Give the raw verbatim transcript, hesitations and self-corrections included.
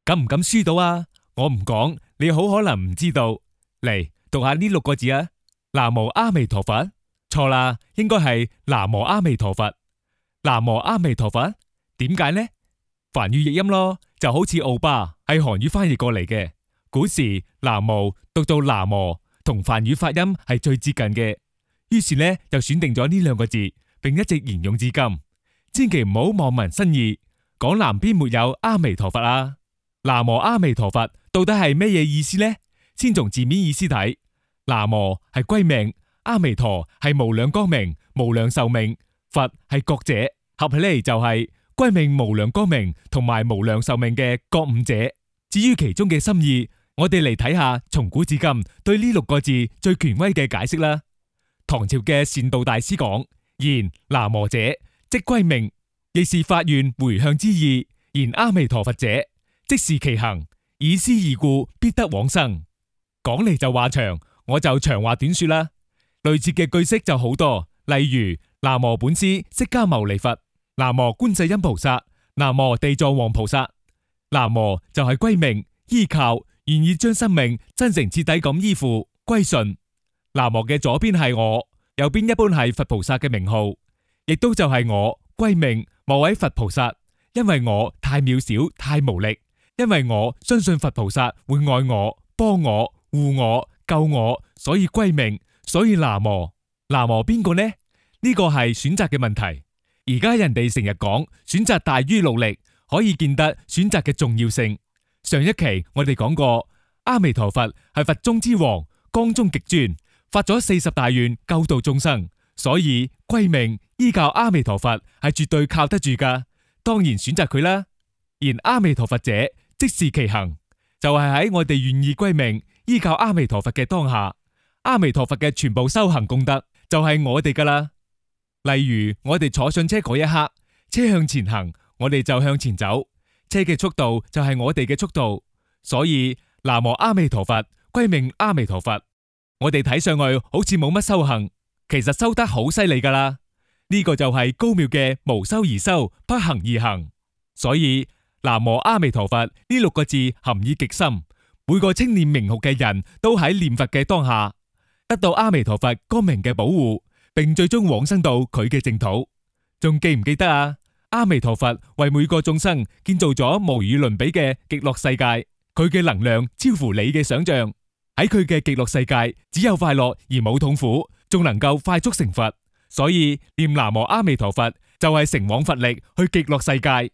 敢唔敢輸到啊？我唔講，你好可能唔知道。嚟讀下呢六個字啊！南無阿彌陀佛。錯啦，應該係南無阿彌陀佛。南無阿彌陀佛，點解呢？梵語譯音咯，就好似奧巴係韓語翻譯過嚟嘅。古時南無讀到南無，同梵語發音係最接近嘅，於是呢就選定咗呢兩個字，並一直沿用至今。千祈唔好望文生義，講南邊沒有阿彌陀佛啊！南無阿彌陀佛到底係咩嘢意思呢？先從字面意思睇，南無係歸命，阿彌陀係無量光明、無量壽命，佛係覺者，合起嚟就係歸命無量光明同埋無量壽命嘅覺悟者。至於其中嘅心意，我哋嚟睇下從古至今對呢六個字最權威嘅解釋啦。唐朝嘅善導大師講：言南無者，即歸命，亦是發願回向之意；言阿彌陀佛者，即是其行，以思義故，必得往生。講嚟就話長，我就長話短說啦。類似嘅句式就好多，例如南無本師釋迦牟尼佛，南無觀世音菩薩，南無地藏王菩薩。南無就係歸命，依靠，願意將生命真誠徹底咁依附歸順。南無嘅左邊係我，右邊一般係佛菩薩嘅名號，亦都就係我歸命某位佛菩薩，因為我太渺小太無力，因為我相信佛菩薩會愛我幫我護我救我，所以歸命，所以南無。南無邊個呢？呢個係選擇嘅問題。而家人哋成日講選擇大於努力，可以見得選擇嘅重要性。上一期我哋講過，阿彌陀佛係佛中之王，光中極尊，發咗四十大願救度眾生，所以歸命依靠阿彌陀佛係絕對靠得住噶，當然選擇佢啦。言阿彌陀佛者，即是其行，就係喺我哋願意歸命依靠阿彌陀佛嘅當下，阿彌陀佛嘅全部修行功德就係我哋噶啦。例如我哋坐上車嗰一刻，車向前行，我哋就向前走，車嘅速度就係我哋嘅速度。所以南無阿彌陀佛，歸命阿彌陀佛。我哋睇上去好似冇乜修行，其實修得好犀利噶啦。呢個就係高妙嘅無修而修，不行而行。所以南無阿彌陀佛呢六個字含義極深，每個稱念名號嘅人都喺念佛嘅當下，得到阿彌陀佛光明嘅保護，並最終往生到佢嘅淨土。仲記唔記得啊？阿彌陀佛為每個眾生建造咗無與倫比嘅極樂世界，佢嘅能量超乎你嘅想象。喺佢嘅極樂世界，只有快樂而冇痛苦，仲能夠快速成佛。所以念南無阿彌陀佛就係乘往佛力去極樂世界。